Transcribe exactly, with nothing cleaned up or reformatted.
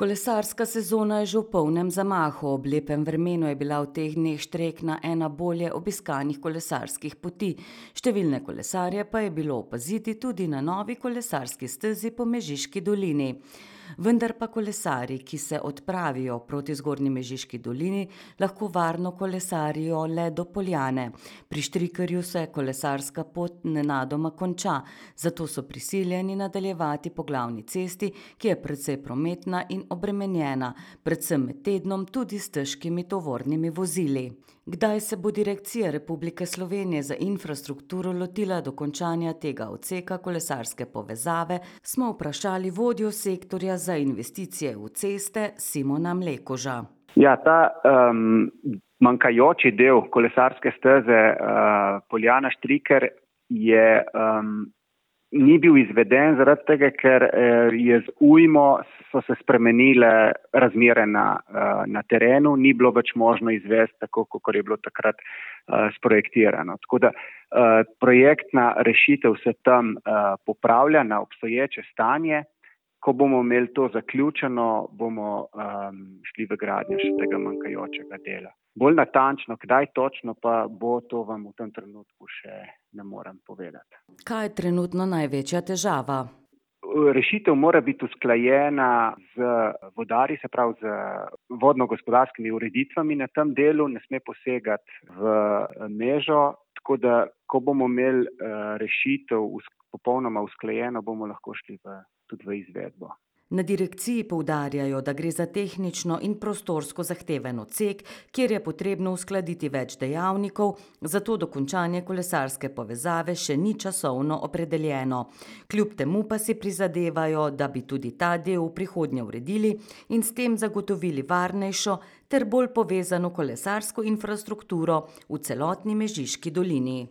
Kolesarska sezona je že v polnem zamahu. Ob lepem vremenu je bila v teh dneh Štrekna ena bolje obiskanih kolesarskih poti. Številne kolesarje pa je bilo opaziti tudi na novi kolesarski stezi po Mežiški dolini. Vendar pa kolesarji, ki se odpravijo proti Zgornji Mežiški dolini, lahko varno kolesarijo le do Poljane. Pri Štrikerju se kolesarska pot nenadoma konča, zato so prisiljeni nadaljevati po glavni cesti, ki je precej prometna in obremenjena, predvsem med tednom tudi s težkimi tovornimi vozili. Kdaj se bo Direkcija Republike Slovenije za infrastrukturo lotila dokončanja tega odseka kolesarske povezave, smo vprašali vodjo sektorja za investicije v ceste Simona Mlekuža. Ja, ta um, manjkajoči del kolesarske steze uh, Poljana-Štriker je um, ni bil izveden zaradi tega, ker je z ujmo so se spremenile razmere na, na terenu, ni bilo več možno izvesti tako, kot je bilo takrat uh, sprojektirano. Tako da uh, projektna rešitev se tam uh, popravlja na obstoječe stanje. Ko bomo imeli to zaključeno, bomo um, šli v gradnjo še tega manjkajočega dela. Bolj natančno, kdaj točno pa bo, to vam v tem trenutku še ne morem povedati. Kaj je trenutno največja težava? Rešitev mora biti usklajena z vodarji, se pravi z vodno-gospodarskimi ureditvami na tem delu, ne sme posegati v mežo, tako da ko bomo imeli rešitev popolnoma usklajeno, bomo lahko šli v, tudi v izvedbo. Na direkciji poudarjajo, da gre za tehnično in prostorsko zahteven odsek, kjer je potrebno uskladiti več dejavnikov, zato dokončanje kolesarske povezave še ni časovno opredeljeno. Kljub temu pa si prizadevajo, da bi tudi ta del v prihodnje uredili in s tem zagotovili varnejšo ter bolj povezano kolesarsko infrastrukturo v celotni Mežiški dolini.